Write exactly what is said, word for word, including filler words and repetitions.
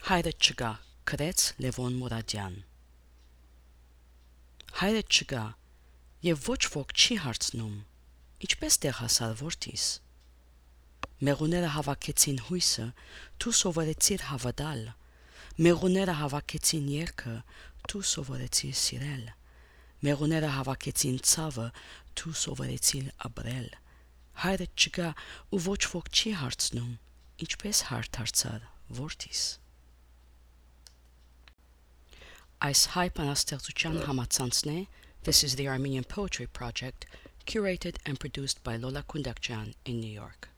Հայրը չկա, գրեց Լևոն Մուրադյան։ Հայրը չկա, եւ ոչ ոք չի հարցնում. ինչպես տեղ հասար որդիս։ Մեղուները հավաքեցին հույսը, դու սովորեցիր հավատալ։ Մեղուները հավաքեցին երգը, դու սովորեցիր սիրել։ Մեղուները հավաքեցին ցավը, դու սովորեցիր ապրել։ Հայրը չկա ու ոչ ոք չի հարցնում. ինչպես հարթ դարձար որդիս։ Այս հայ բանաստեղծության համացանցն է This is the Armenian Poetry Project, curated and produced by Lola Kundakjan in New York.